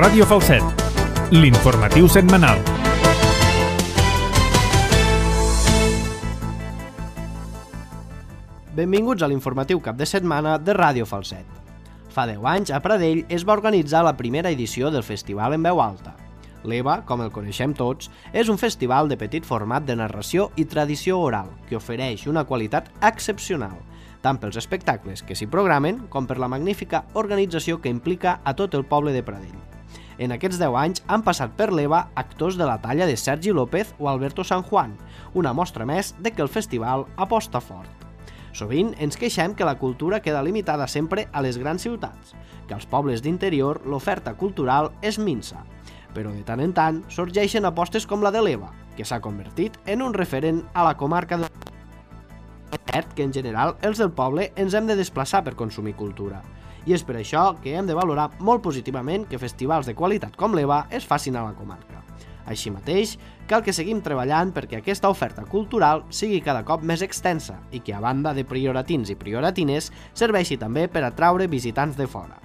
Ràdio Falset, l'informatiu setmanal. Benvinguts a l'informatiu cap de setmana de Ràdio Falset. Fa 10 anys, a Pradell, es va organitzar la primera edició del Festival en Veu Alta. L'EVA, com el coneixem tots, és un festival de petit format de narració i tradició oral que ofereix una qualitat excepcional, tant pels espectacles que s'hi programen com per la magnífica organització que implica a tot el poble de Pradell. En aquests 10 anys han passat per l'EVA actors de la talla de Sergi López o Alberto San Juan, una mostra més de que el festival aposta fort. Sovint ens queixem que la cultura queda limitada sempre a les grans ciutats, que als pobles d'interior l'oferta cultural és minsa, però de tant en tant sorgeixen apostes com la de l'EVA, que s'ha convertit en un referent a la comarca de... És cert que en general els del poble ens hem de desplaçar per consumir cultura, i és per això que hem de valorar molt positivament que festivals de qualitat com l'EVA es facin a la comarca. Així mateix, cal que seguim treballant perquè aquesta oferta cultural sigui cada cop més extensa i que, a banda de prioratins i prioratines, serveixi també per atraure visitants de fora.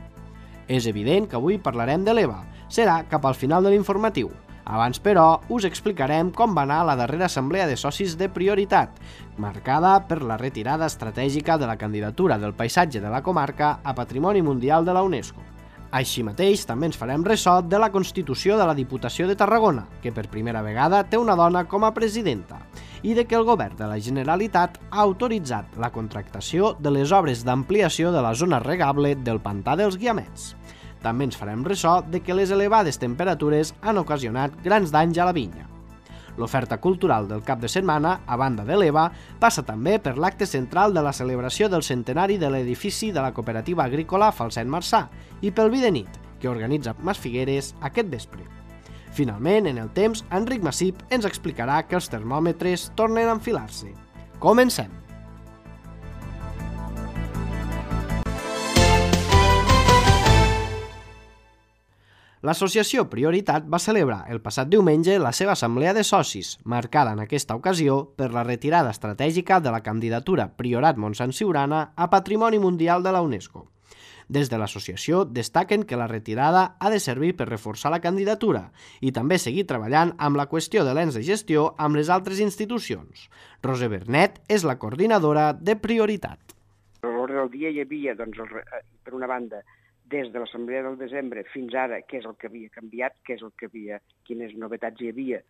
És evident que avui parlarem de l'EVA. Serà cap al final de l'informatiu. Abans, però, us explicarem com va anar la darrera assemblea de socis de prioritat, marcada per la retirada estratègica de la candidatura del paisatge de la comarca a Patrimoni Mundial de la UNESCO. Així mateix, també ens farem ressò de la constitució de la Diputació de Tarragona, que per primera vegada té una dona com a presidenta, i de que el govern de la Generalitat ha autoritzat la contractació de les obres d'ampliació de la zona regable del pantà dels Guiamets. També ens farem ressò de que les elevades temperatures han ocasionat grans danys a la vinya. L'oferta cultural del cap de setmana, a banda de l'EVA, passa també per l'acte central de la celebració del centenari de l'edifici de la cooperativa agrícola Falset Marçà i pel vi de nit, que organitza Mas Figueres aquest vespre. Finalment, en el temps, Enric Massip ens explicarà que els termòmetres tornen a enfilar-se. Comencem! L'associació Prioritat va celebrar el passat diumenge la seva assemblea de socis, marcada en aquesta ocasió per la retirada estratègica de la candidatura Priorat Montsant Siurana a Patrimoni Mundial de la UNESCO. Des de l'associació destaquen que la retirada ha de servir per reforçar la candidatura i també seguir treballant amb la qüestió de l'ens de gestió amb les altres institucions. Roser Bernet és la coordinadora de Prioritat. A l'ordre del dia hi havia, per una banda, des de l'assemblea del desembre fins ara, què és el que havia canviat, quines novetats hi havia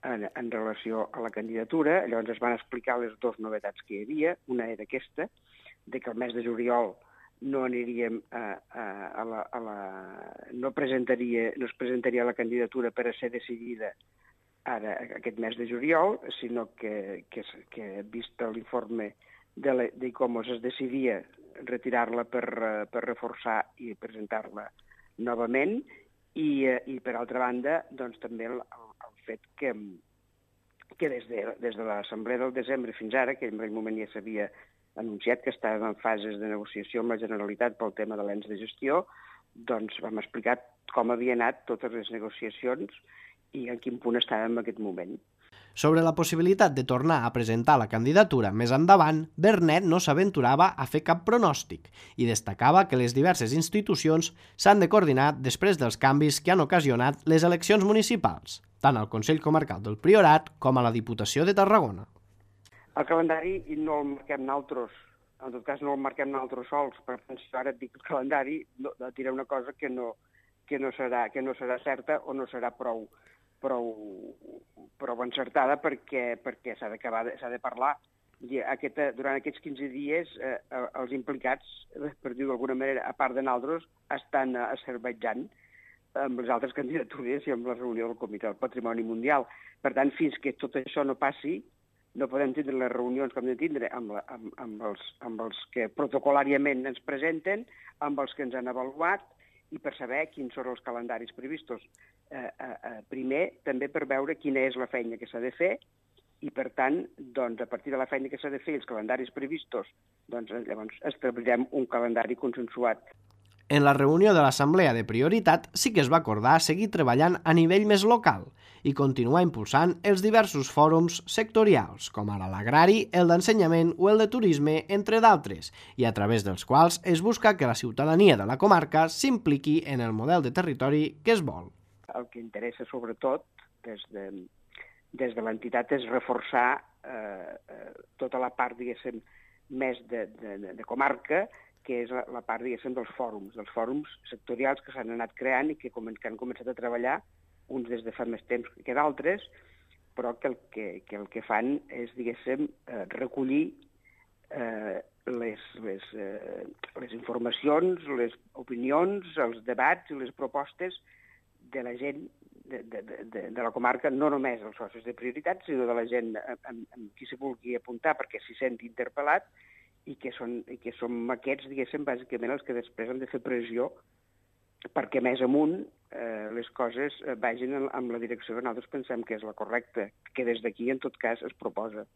en relació a la candidatura. Llavors es van explicar les dues novetats que hi havia. Una era aquesta, de que el mes de juliol no aniríem no es presentaria la candidatura per a ser decidida ara aquest mes de juliol, sinó que vist l'informe d'ICOMOS es decidia retirar-la per reforçar i presentar-la novament i per altra banda doncs també el fet que des de l'assemblea del desembre fins ara, que en aquell moment ja s'havia anunciat que estàvem en fases de negociació amb la Generalitat pel tema de l'ens de gestió, doncs vam explicar com havien anat totes les negociacions i en quin punt estàvem en aquest moment. Sobre la possibilitat de tornar a presentar la candidatura més endavant, Bernet no s'aventurava a fer cap pronòstic i destacava que les diverses institucions s'han de coordinar després dels canvis que han ocasionat les eleccions municipals, tant al Consell Comarcal del Priorat com a la Diputació de Tarragona. El calendari no el marquem nosaltres, en tot cas no el marquem nosaltres sols, per tant, si ara et dic el calendari, diré una cosa que no serà certa o no serà prou encertada perquè s'ha de parlar. Durant aquests 15 dies els implicats, per dir-ho d'alguna manera, a part de nosaltres, estan asservejant amb les altres candidatures i amb la reunió del Comitè del Patrimoni Mundial. Per tant, fins que tot això no passi, no podem tindre les reunions que hem de tindre amb els que protocolàriament ens presenten, amb els que ens han avaluat, i per saber quins són els calendaris previstos. Primer, també per veure quina és la feina que s'ha de fer i, per tant, doncs, a partir de la feina que s'ha de fer i els calendaris previstos, doncs, llavors establirem un calendari consensuat. En la reunió de l'Assemblea de Prioritat sí que es va acordar seguir treballant a nivell més local i continuar impulsant els diversos fòrums sectorials, com ara l'agrari, el d'ensenyament o el de turisme, entre d'altres, i a través dels quals es busca que la ciutadania de la comarca s'impliqui en el model de territori que es vol. El que interessa sobretot des de l'entitat és reforçar tota la part, diguéssim, més de comarca, que és la part, diguéssim, dels fòrums sectorials que s'han anat creant i que han començat a treballar, uns des de fa més temps que d'altres, però que el que fan és, diguéssim, recollir les informacions, les opinions, els debats i les propostes de la gent de la comarca, no només els socis de prioritat, sinó de la gent amb qui se vulgui apuntar perquè s'hi senti interpel·lat, i que som aquests, diguéssim, bàsicament els que després han de fer pressió perquè més amunt les coses vagin en la direcció que nosaltres pensem que és la correcta, que des d'aquí, en tot cas, es proposa.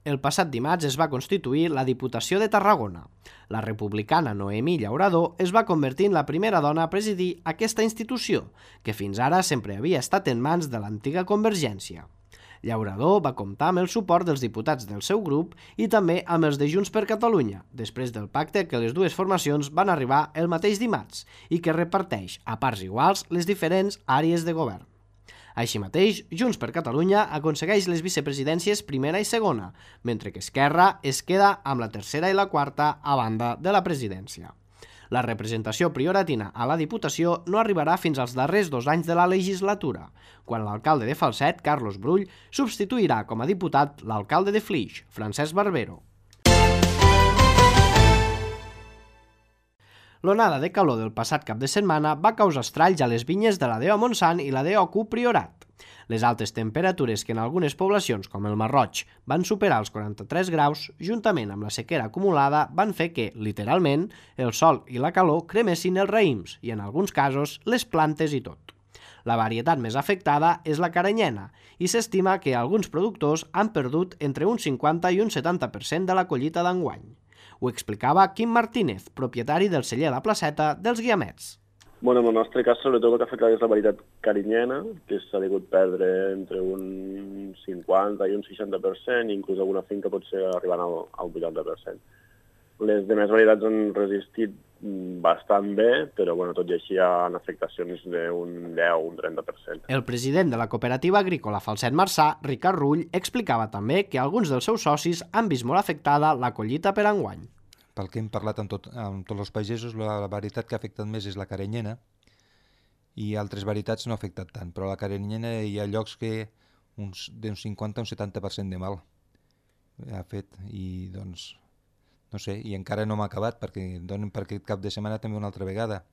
El passat dimarts es va constituir la Diputació de Tarragona. La republicana Noemí Llauradó es va convertir en la primera dona a presidir aquesta institució, que fins ara sempre havia estat en mans de l'antiga Convergència. Llauradó va comptar amb el suport dels diputats del seu grup i també amb els de Junts per Catalunya, després del pacte que les dues formacions van arribar el mateix dimarts i que reparteix a parts iguals les diferents àrees de govern. Així mateix, Junts per Catalunya aconsegueix les vicepresidències primera i segona, mentre que Esquerra es queda amb la tercera i la quarta a banda de la presidència. La representació prioratina a la Diputació no arribarà fins als darrers 2 anys de la legislatura, quan l'alcalde de Falset, Carlos Brull, substituirà com a diputat l'alcalde de Flix, Francesc Barbero. L'onada de calor del passat cap de setmana va causar estralls a les vinyes de la DO Montsant i la DO Priorat. Les altes temperatures que en algunes poblacions, com el Marroig, van superar els 43 graus, juntament amb la sequera acumulada, van fer que, literalment, el sol i la calor cremessin els raïms i, en alguns casos, les plantes i tot. La varietat més afectada és la caranyena i s'estima que alguns productors han perdut entre un 50 i un 70% de la collita d'enguany. Ho explicava Quim Martínez, propietari del celler La Placeta dels Guiamets. Bueno, en el nostre cas, sobretot el que ha afectat és la varietat carinyena, que s'ha degut perdre entre un 50 i un 60%, i inclús alguna finca pot ser arribant al 80%. Les demés varietats han resistit bastant bé, però tot i així hi ha afectacions d'un 10 o un 30%. El president de la cooperativa agrícola Falset Marçà, Ricard Rull, explicava també que alguns dels seus socis han vist molt afectada la collita per enguany. Pel que hem parlat amb tots els pagesos, la varietat que ha afectat més és la caranyena i altres varietats no ha afectat tant, però la caranyena hi ha llocs que d'un 50 a un 70% de mal ha fet i doncs, no sé, i encara no m'ha acabat perquè donen per aquest cap de setmana també una altra vegada.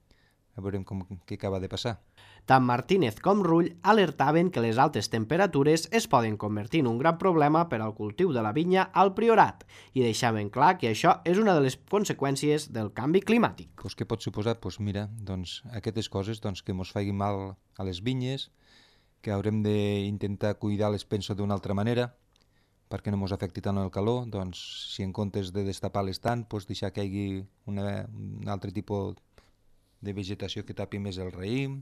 A veurem què acaba de passar. Tant Martínez com Rull alertaven que les altes temperatures es poden convertir en un gran problema per al cultiu de la vinya al Priorat i deixaven clar que això és una de les conseqüències del canvi climàtic. Què pot suposar? Mira, aquestes coses que mos facin mal a les vinyes, que haurem d'intentar cuidar-les, penso, d'una altra manera, perquè no mos afecti tant el calor, si en comptes de destapar-les tant, deixar que hi hagi un altre tipus de vegetació que tapi més el raïm.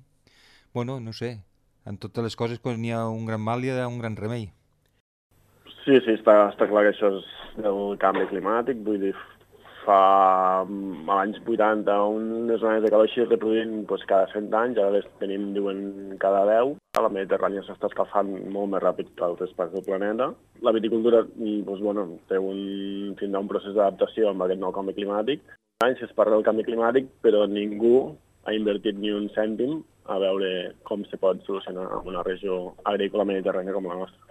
No sé, en totes les coses quan hi ha un gran mal hi ha un gran remei. Sí, està clar que això és del canvi climàtic, vull dir, fa l'any 80 unes zones de calor així es reproduint cada 100 anys, ara les tenim, diuen, cada 10. La Mediterrània s'està escalfant molt més ràpid que altres parts del planeta. La viticultura tindrà un procés d'adaptació amb aquest nou canvi climàtic. Anys es parla del canvi climàtic, però ningú ha invertit ni un cèntim a veure com se pot solucionar en una regió agrícola mediterrània com la nostra.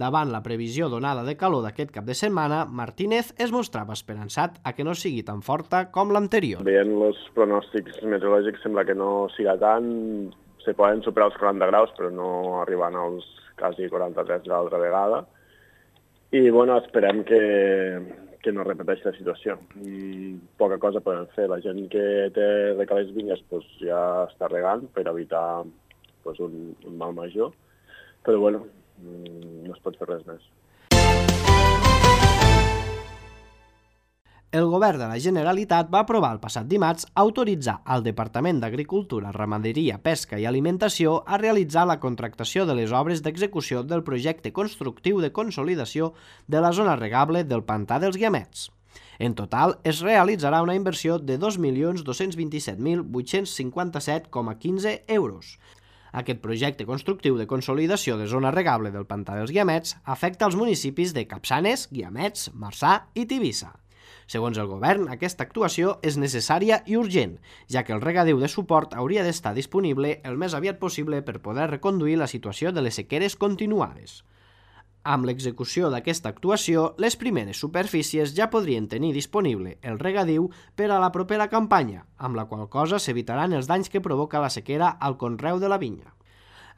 Davant la previsió d'onada de calor d'aquest cap de setmana, Martínez es mostrava esperançat a que no sigui tan forta com l'anterior. Veient els pronòstics meteorològics sembla que no siga tant, se poden superar els 40 graus, però no arribant als quasi 43 de l'altra vegada. I esperem que no repeteixi la situació. Poca cosa podem fer. La gent que té recales vinyes ja està regant per evitar un mal major, però no es pot fer res més. El Govern de la Generalitat va aprovar el passat dimarts autoritzar al Departament d'Agricultura, Ramaderia, Pesca i Alimentació a realitzar la contractació de les obres d'execució del projecte constructiu de consolidació de la zona regable del Pantà dels Guiamets. En total, es realitzarà una inversió de 2.227.857,15 euros. Aquest projecte constructiu de consolidació de zona regable del Pantà dels Guiamets afecta els municipis de Capçanes, Guiamets, Marçà i Tivissa. Segons el govern, aquesta actuació és necessària i urgent, ja que el regadiu de suport hauria d'estar disponible el més aviat possible per poder reconduir la situació de les sequeres continuades. Amb l'execució d'aquesta actuació, les primeres superfícies ja podrien tenir disponible el regadiu per a la propera campanya, amb la qual cosa s'evitaran els danys que provoca la sequera al conreu de la vinya.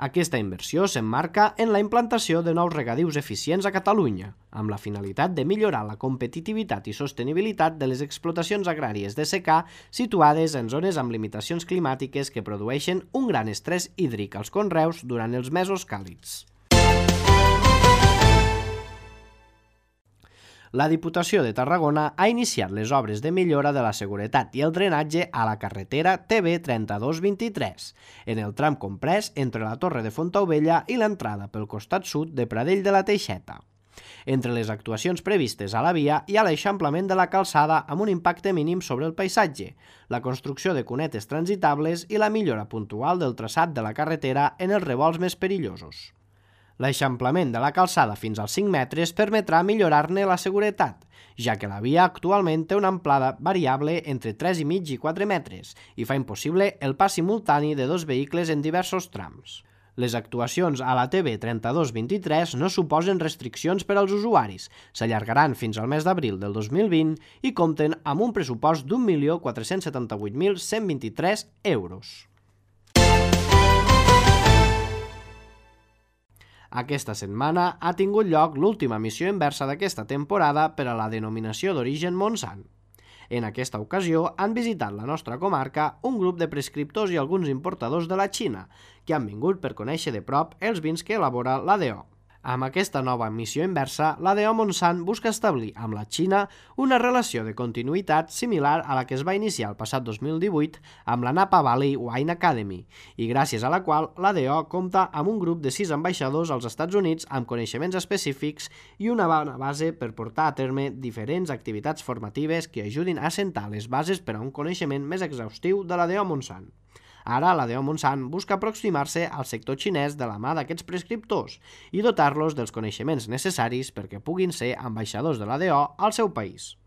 Aquesta inversió s'emmarca en la implantació de nous regadius eficients a Catalunya, amb la finalitat de millorar la competitivitat i sostenibilitat de les explotacions agràries de secà situades en zones amb limitacions climàtiques que produeixen un gran estrès hídric als conreus durant els mesos càlids. La Diputació de Tarragona ha iniciat les obres de millora de la seguretat i el drenatge a la carretera TB 3223, en el tram comprès entre la Torre de Fontaubella i l'entrada pel costat sud de Pradell de la Teixeta. Entre les actuacions previstes a la via hi ha l'eixamplament de la calçada amb un impacte mínim sobre el paisatge, la construcció de cunetes transitables i la millora puntual del traçat de la carretera en els revolts més perillosos. L'eixamplament de la calçada fins als 5 metres permetrà millorar-ne la seguretat, ja que la via actualment té una amplada variable entre 3,5 i 4 metres i fa impossible el pas simultani de dos vehicles en diversos trams. Les actuacions a la TB 3223 no suposen restriccions per als usuaris, s'allargaran fins al mes d'abril del 2020 i compten amb un pressupost d'1.478.123 euros. Aquesta setmana ha tingut lloc l'última missió inversa d'aquesta temporada per a la denominació d'origen Montsant. En aquesta ocasió han visitat la nostra comarca un grup de prescriptors i alguns importadors de la Xina, que han vingut per conèixer de prop els vins que elabora l'ADO. Amb aquesta nova missió inversa, l'ADO Montsant busca establir amb la Xina una relació de continuïtat similar a la que es va iniciar el passat 2018 amb la Napa Valley Wine Academy i gràcies a la qual l'ADO compta amb un grup de 6 ambaixadors als Estats Units amb coneixements específics i una bona base per portar a terme diferents activitats formatives que ajudin a assentar les bases per a un coneixement més exhaustiu de l'ADO Montsant. Ara, l'ADO Montsant busca aproximar-se al sector xinès de la mà d'aquests prescriptors i dotar-los dels coneixements necessaris perquè puguin ser ambaixadors de l'ADO al seu país.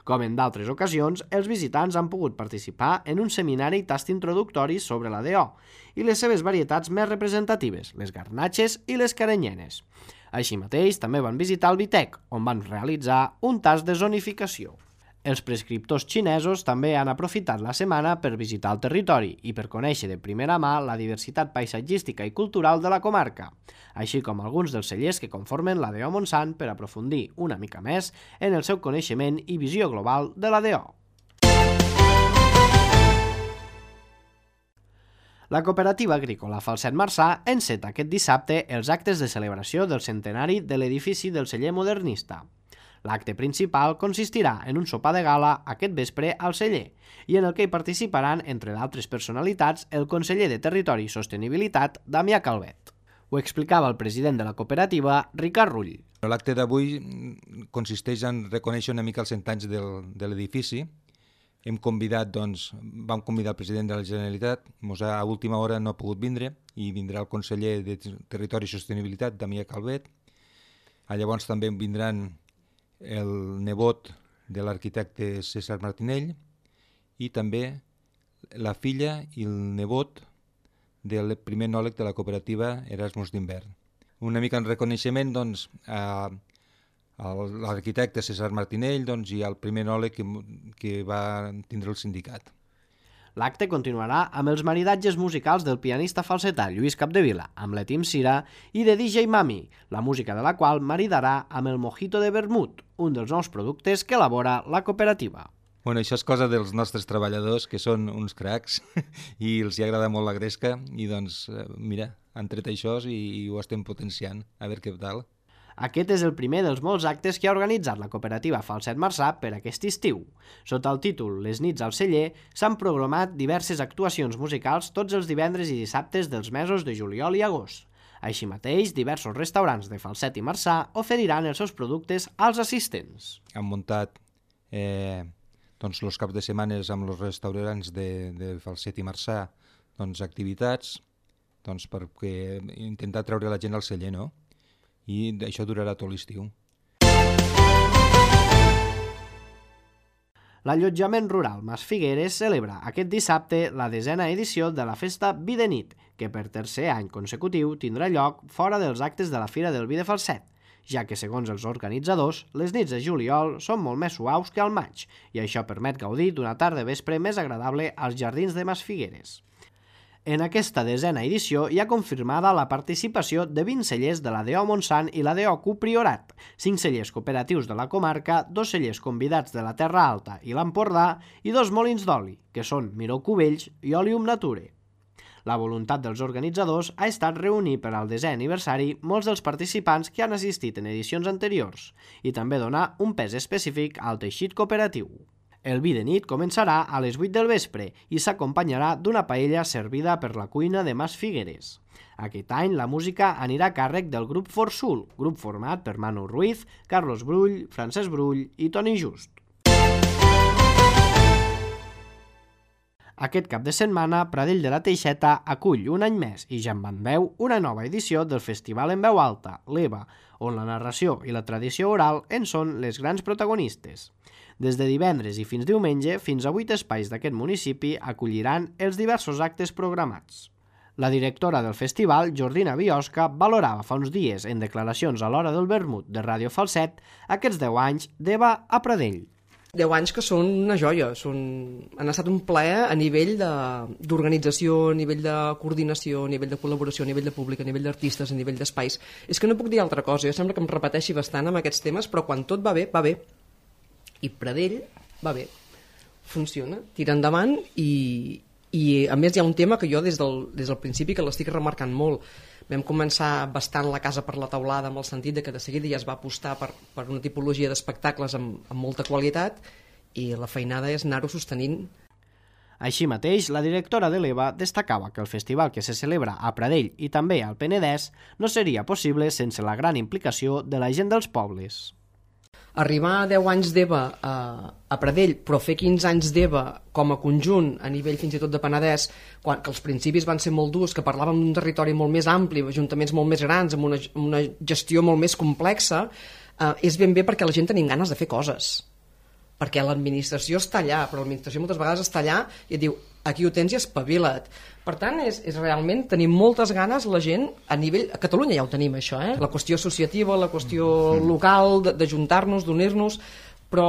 Com en d'altres ocasions, els visitants han pogut participar en un seminari tast introductori sobre l'ADO i les seves varietats més representatives, les garnatxes i les caranyenes. Així mateix, també van visitar el Vitec, on van realitzar un tast de zonificació. Els prescriptors xinesos també han aprofitat la setmana per visitar el territori i per conèixer de primera mà la diversitat paisatgística i cultural de la comarca, així com alguns dels cellers que conformen l'ADO Montsant per aprofundir una mica més en el seu coneixement i visió global de l'ADO. La cooperativa agrícola Falset Marçà enceta aquest dissabte els actes de celebració del centenari de l'edifici del celler modernista. L'acte principal consistirà en un sopar de gala aquest vespre al celler i en el que hi participaran, entre d'altres personalitats, el conseller de Territori i Sostenibilitat, Damià Calvet. Ho explicava el president de la cooperativa, Ricard Rull. L'acte d'avui consisteix en reconèixer una mica els 100 anys de l'edifici. Vam convidar el president de la Generalitat, a última hora no ha pogut vindre, i vindrà el conseller de Territori i Sostenibilitat, Damià Calvet. Llavors també vindran el nebot de l'arquitecte César Martinell i també la filla i el nebot del primer enòleg de la cooperativa Erasmus d'Hivern. Una mica en reconeixement a l'arquitecte César Martinell i al primer enòleg que va tindre el sindicat. L'acte continuarà amb els maridatges musicals del pianista falsetà Lluís Capdevila, amb l'Etim Cira, i de DJ Mami, la música de la qual maridarà amb el mojito de vermut, un dels nous productes que elabora la cooperativa. Això és cosa dels nostres treballadors, que són uns cracs, i els hi agrada molt la gresca, i mira, han tret això i ho estem potenciant, a veure què tal. Aquest és el primer dels molts actes que ha organitzat la cooperativa Falset Marçà per aquest estiu. Sota el títol Les nits al celler s'han programat diverses actuacions musicals tots els divendres i dissabtes dels mesos de juliol i agost. Així mateix, diversos restaurants de Falset i Marçà oferiran els seus productes als assistents. Han muntat els caps de setmana amb els restaurants de Falset i Marçà activitats per intentar treure la gent al celler, no? I això durarà tot l'estiu. L'allotjament rural Mas Figueres celebra aquest dissabte la 10a edició de la festa Vi de Nit, que per tercer any consecutiu tindrà lloc fora dels actes de la Fira del Vi de Falset, ja que, segons els organitzadors, les nits de juliol són molt més suaus que al maig, i això permet gaudir d'una tarda vespre més agradable als jardins de Mas Figueres. En aquesta 10a edició hi ha confirmada la participació de 20 cellers de la DO Montsant i la DO Q Priorat, 5 cellers cooperatius de la comarca, 2 cellers convidats de la Terra Alta i l'Empordà i 2 molins d'oli, que són Miró Cubells i Olium Nature. La voluntat dels organitzadors ha estat reunir per al 10è aniversari molts dels participants que han assistit en edicions anteriors i també donar un pes específic al teixit cooperatiu. El vi de nit començarà a les 8 del vespre i s'acompanyarà d'una paella servida per la cuina de Mas Figueres. Aquest any la música anirà a càrrec del grup Forsul, grup format per Manu Ruiz, Carlos Brull, Francesc Brull i Toni Just. Aquest cap de setmana, Pradell de la Teixeta acull un any més i ja en van veu una nova edició del Festival en Veu Alta, l'EVA, on la narració i la tradició oral en són les grans protagonistes. Des de divendres i fins diumenge, fins a 8 espais d'aquest municipi acolliran els diversos actes programats. La directora del festival, Jordina Biosca, valorava fa uns dies en declaracions a l'hora del vermut de Ràdio Falset aquests 10 anys d'EVA a Pradell. 10 anys que són una joia, han estat un plaer a nivell d'organització, a nivell de coordinació, a nivell de col·laboració, a nivell de públic, a nivell d'artistes, a nivell d'espais. És que no puc dir altra cosa, jo sembla que em repeteixi bastant amb aquests temes, però quan tot va bé, va bé. I Pradell va bé, funciona, tira endavant i a més hi ha un tema que jo des del principi que l'estic remarcant molt. Vam començar bastant la casa per la teulada amb el sentit de que de seguida ja es va apostar per una tipologia d'espectacles amb molta qualitat i la feinada és anar-ho sostenint. Així mateix, la directora de l'EVA destacava que el festival que se celebra a Pradell i també al Penedès no seria possible sense la gran implicació de la gent dels pobles. Arribar a 10 anys d'EVA a Pradell, però fer 15 anys d'EVA com a conjunt, a nivell fins i tot de Penedès, que els principis van ser molt durs, que parlàvem d'un territori molt més ampli, ajuntaments molt més grans, amb una gestió molt més complexa, és ben bé perquè la gent tenim ganes de fer coses. Perquè l'administració està allà, però l'administració moltes vegades està allà i et diu, aquí ho tens i espavila't. Per tant, és realment tenir moltes ganes la gent a nivell... A Catalunya ja ho tenim, això, la qüestió associativa, la qüestió local, d'ajuntar-nos, d'unir-nos, però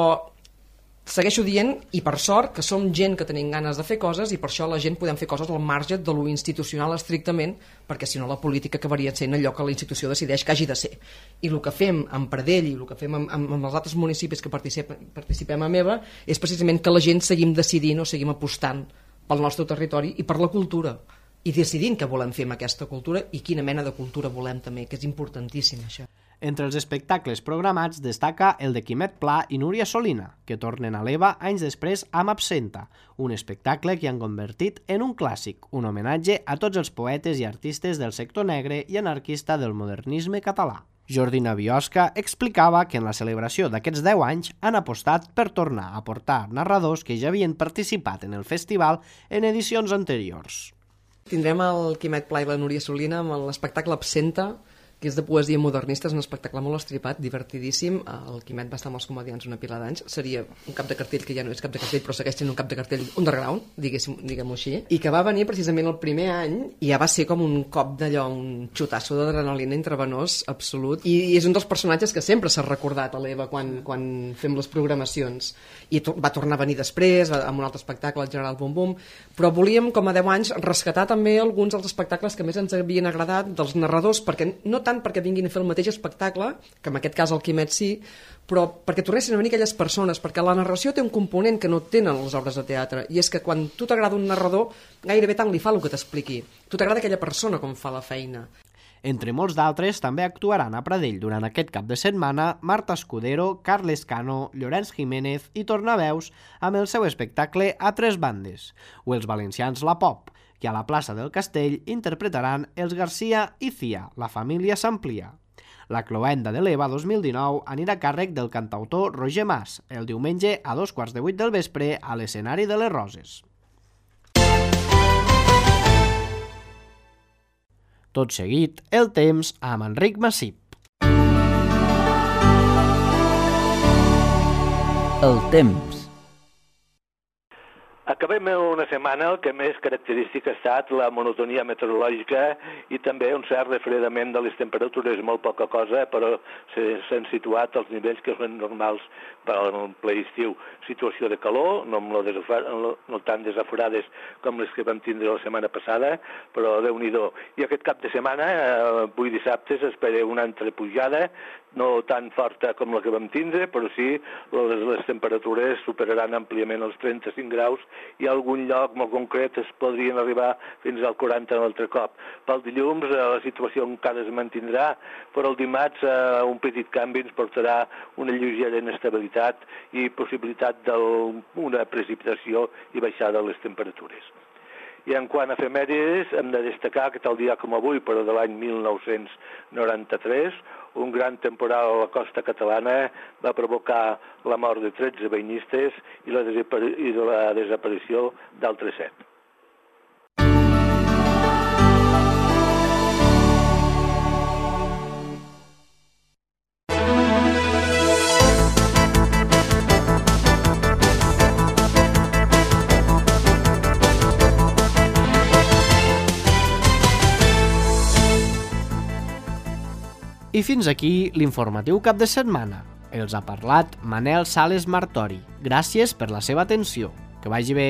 segueixo dient, i per sort, que som gent que tenim ganes de fer coses i per això la gent podem fer coses al marge de lo institucional estrictament, perquè si no la política acabaria sent allò que la institució decideix que hagi de ser. I el que fem amb Pradell i el que fem amb els altres municipis que participem a MEVA és precisament que la gent seguim decidint o seguim apostant pel nostre territori i per la cultura i decidint què volem fer amb aquesta cultura i quina mena de cultura volem també, que és importantíssim això. Entre els espectacles programats destaca el de Quimet Pla i Núria Solina, que tornen a l'EVA anys després amb Absenta, un espectacle que han convertit en un clàssic, un homenatge a tots els poetes i artistes del sector negre i anarquista del modernisme català. Jordina Biosca explicava que en la celebració d'aquests 10 anys han apostat per tornar a portar narradors que ja havien participat en el festival en edicions anteriors. Tindrem el Quimet Pla i la Núria Solina amb l'espectacle Absenta, que és de poesia modernista, és un espectacle molt estripat, divertidíssim. El Quimet va estar amb els comedians una pila d'anys. Seria un cap de cartell que ja no és cap de cartell, però segueix sent un cap de cartell underground, diguem-ho així, i que va venir precisament el primer any i ja va ser com un cop d'allò, un xutasso d'adrenalina intravenós absolut. I és un dels personatges que sempre s'ha recordat a l'EVA quan fem les programacions. I va tornar a venir després, amb un altre espectacle, el General Bum Bum, però volíem, com a 10 anys, rescatar també alguns dels espectacles que més ens havien agradat dels narradors, perquè no tant perquè vinguin a fer el mateix espectacle, que en aquest cas el Quimet sí, però perquè tornessin a venir aquelles persones, perquè la narració té un component que no tenen les obres de teatre, i és que quan tu t'agrada un narrador, gairebé tant li fa el que t'expliqui. Tu t'agrada aquella persona com fa la feina. Entre molts d'altres, també actuaran a Pradell durant aquest cap de setmana Marta Escudero, Carles Cano, Llorenç Jiménez i Tornaveus amb el seu espectacle A Tres Bandes, o els valencians La Pop, que a la plaça del Castell interpretaran els Garcia i Cia, La família s'amplia. La cloenda de l'EVA 2019 anirà a càrrec del cantautor Roger Mas, el diumenge a 2:15 del vespre a l'escenari de les Roses. Tot seguit, el temps amb Enric Massip. El temps. Acabem una setmana que més característica ha estat la monotonia meteorològica i també un cert refredament de les temperatures, molt poca cosa, però s'han situat als nivells que són normals per al ple estiu. Situació de calor, no tan desaforades com les que vam tindre la setmana passada, però Déu-n'hi-do. I aquest cap de setmana, avui dissabte, s'espera una altra pujada, no tan forta com la que vam tindre, però sí les temperatures superaran àmpliament els 35 graus i a algun lloc molt concret es podrien arribar fins al 40 un altre cop. Pel dilluns la situació encara es mantindrà, però el dimarts un petit canvi ens portarà una lleugera inestabilitat i possibilitat d'una precipitació i baixada de les temperatures. I en quant a efemèrides, hem de destacar que tal dia com avui, però de l'any 1993, un gran temporal a la costa catalana va provocar la mort de 13 banyistes i la desaparició d'altres 7. I fins aquí l'informatiu cap de setmana. Els ha parlat Manel Sales Martori. Gràcies per la seva atenció. Que vagi bé.